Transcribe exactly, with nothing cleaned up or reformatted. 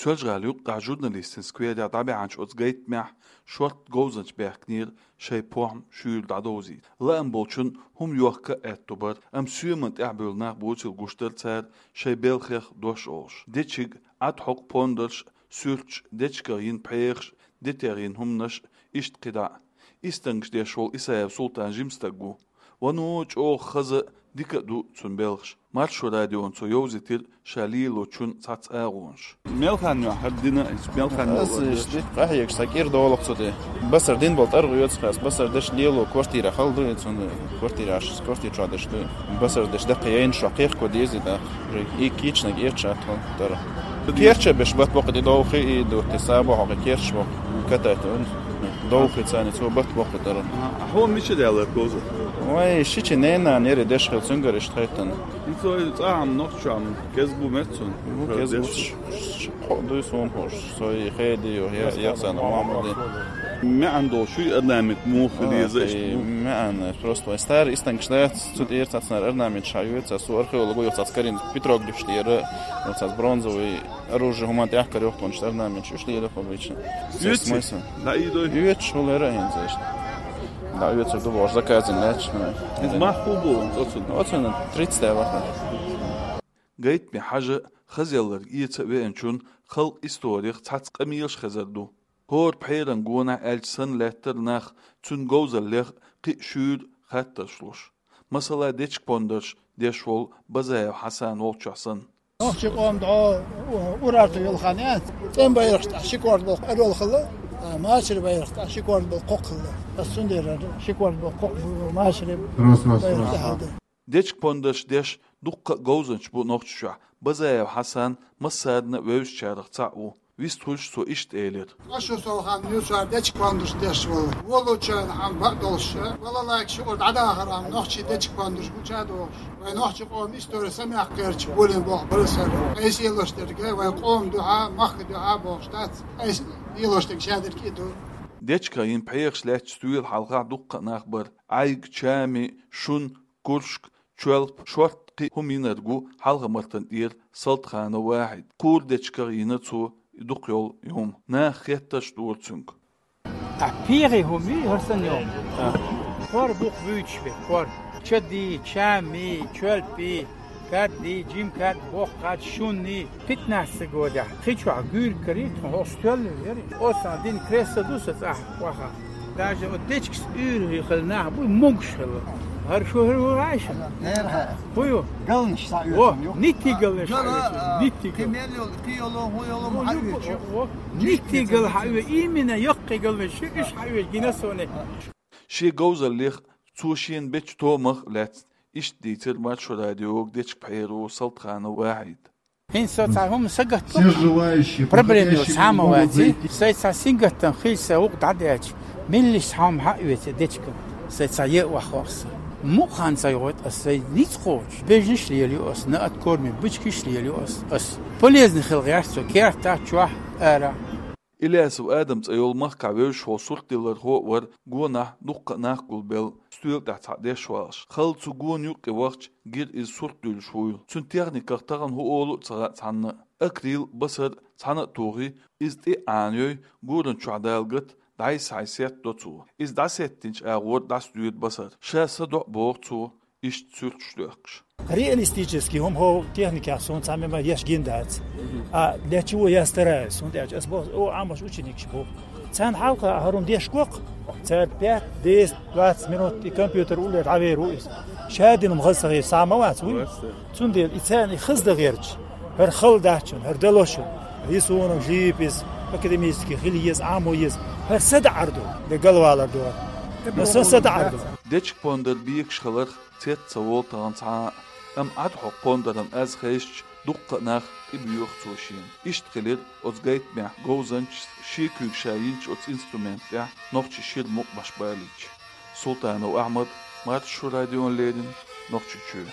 Соьлжа-ГӀалин юккъехь журналистийн скверехь дӀабаьхьначу оцу гайтамехь шортта говзанча баьхкинера шайн похӀма шуьйра дӀадовзийта. Лаам болчун хӀума йохка а аьтто бара, амма соьмана тӀаьхьабевлла нах буцийла гуш дара цара шайн белхех дош олуш. Дечиг, Ӏад хьокху пондарш, суьрташ, дечигах йина пхьегӀаш, детерг йина хӀуманаш, иштта кхидӀа а. Истангаш деш волу Исаев Султан жима стаг ву. Вано чӀогӀа хаза, дика а ду цуьнан белхаш. Маршо радиона цо йовзийтира ша лелочун цхьацца агӀонаш. Мел хан ю хӀара дина, мел хан ю? Аса иштта къахьегаш сан кӀира долу-кх цу тӀе. Басар дина болу тӀаргӀа оьцу хьас, басар деш лело квартира хала ду и цуьнан, квартира аш, квартира чохь деш ду. Басар деш даккха яйна шо кхехко деза и даккха. И кийчнаг эцча а тхо тара. Керча беш бат боккха тӀе довхи и дурте сабо хьо керча боккха. Катайта ван. Довхи царни цо бат боккха тара. Хьо мича даьлла говза? Вай, шичи ненан нери деш хила цуьнгара иштта хайтана. Ин цо и цӀахьам нохчам кеза бу меццун. Бу кеза бу. Деш. Хо дуй сон хош. Сой хеди ю, я, я сан Мухаммади. Меан долу шуй орнамент муха леза иштта бу. Меан, просто вай старый истангаш дац, цу тӀера цацнар орнамент ша ю, цас археолог ю, цас карин петроглиф тӀера, цас бронзовый оружие хӀуман тӀехь карайохконаш орнаменташ уьш лело обычно. Юьци? Смысл? Да, и дой. Юьци, хулера хӀинца иштта. Да, юьци ду бохуш заказан лаьтташ. Иза мах хӀу бу, оцун? Оцун тридцать ваха. Гайтаме хьажа, хазалларг эца а веанчун халкъ историх цхьацца къамелаш хезар ду. ХӀора пхьеран гонахь аьлча санна лаьттара нах цуьнан говзаллех кхин а шуьйра хаттарш луш. Масала, дечиг пондарш деш волу Базаев Хьасан волчохь санна. Нохчийн къоман дӀо урарту йолу хан яц. ЦӀен байракхаш тӀехь ши корта болу орел хилла, а, машарийн байракхаш тӀехь ши корта болу кхокха хилла. Ас цундела ши корта болу кхокха машарийн байракх тӀехь хилла. Дечиг пондарш деш дуккха а говзанчаш бу Нохчийчохь. Базаев Хьасан массарна а вевзачарах цхьаъ ву. Вистхуьлуш цо иштта элира. Ашу сол хан юсар дечиг пондарш деш волу. Волучарна хьан бакъ долуш. Вала лайк шугур дӀадахар ам нохчий дечиг пондарш гуча дохуш. Вай нохчи къоман истори самех кхерча болин боху барасар. Айса елош дерг, вай къоман дуьхьа, махка дуьхьа бохуш дац. Айса елош дерг шадерг и ду. Дечигах йина пхьегӀаш лаьтташ туьйла хьалха дуккха а нах бара. Ӏайг, чами, шун, куршк, чоьлп, шортта кхин а хӀума йинарг ву Хьалха-Мартан тӀера Салтханов Вахьид. Кхура дечигах йина цо и дукха йолу и хӀума. Наха хеттарш дора цуьнга. Ахь пхьегӀий хӀума юй хӀара санна йолу? Кхор бух буьйцуш бе, кхор. Чади, чами, чоьлпи, кадди, жим кад, боху кад, шунни. Пятнадцать годехь кхин чохь гуьйриг карий, тхо хӀокху стоьлла яри. Оццул дина кресло ду сан цӀахь ваха. Даже оцу дечигаш уьйр хилла нах буй, могуш хилла. ХӀара шу хӀара ву Ӏайша? ХӀу ю? Галнаш схьаоьцу. Во, ниттий галнаш схьаоьцу. Ниттий гал. Кхин мел йолу, кхин йолу, хӀун йолу, хӀун хьаоьцу? Во, ниттий гал хьаоьцу, именно йоккхий галнаш шу, уьш хьаоьцу гина соне. Шен говзаллех, цо шена бечу томах а лаьцна иштта дийцира Маршо радиога дечиг пхьеро Салтханов Вахьид. ХӀинца со цхьа хӀума сагатто, проблема йо цхьа ма ваций. Сайн цхьа сингаттам хилча, сайн гӀуллакх дӀадаьлча, меллиса цхьа хӀума хьаоьцу дечиган. Сайн цхьа е а вахвахса. Мукъа хан ца йогӀуьйту ас, сайн ницкъ кхочуш. Бежнаш лелайо ас, наат корми бычкиш лелайо ас. Ас полезный хила гӀерта со керта чохь, ара. Илясов Адам цӀе йолу махкахь вевзаш волу суртдиллархо а вара гонахь дуккха а нах гулбелла, стоьла тӀехь цхьаъ деш валаш. Халла цу гона юккъе вахча, гира иза сурт дуьллуш вуйла. Цуьнан техниках тахана хӀун олу а ца хаьа цхьанна а. Акрил, басар цхьаьна а тухий, иза тӀе а Ӏанайой, гуран чохь далгат дӀайса-хьайса сеттадо цо. Иза дӀасеттинчу агӀор дӀасадоьду басар. Ша са доӀа боху цо, иштта суьрташ доьккхуш. Реалистический хӀума хӀокху техникехь суна цхьа мема еш гина дац. А для чего я стараюсь? ХӀунда аьлча ас боху, о, Ӏамош ученикаш бу. Царна хьалха хӀара хӀума деш го-кх, цара пять, десять, двадцать минут и компьютер уллера дӀавер ву иза. Ша дина хӀума хаза ца хеташ схьа ма вац вуй. Цундела и царна и хаза дан гӀерташ, хӀара хала дац шуна, хӀара дало шуна. И суна жип иза, академический хила еза, Ӏамо еза. ХӀара са даӀар ду, де галвалар ду. Но сан са даӀар ду. Дечиг пондар бекаш хиларх цец ца волу тахана цхьа а, амма Ӏад хьокху пондаран аз хезча, дуккха а нах тӀебоьху цо шена. Иштта хилира оцу гайтамехь говзанчас шен куьйга ша йинчу оцу инструмент тӀехь нохчийн шира мукъамаш балийча. Султанов Ахьмад, Маршо радиона леррина, Нохчийчоь.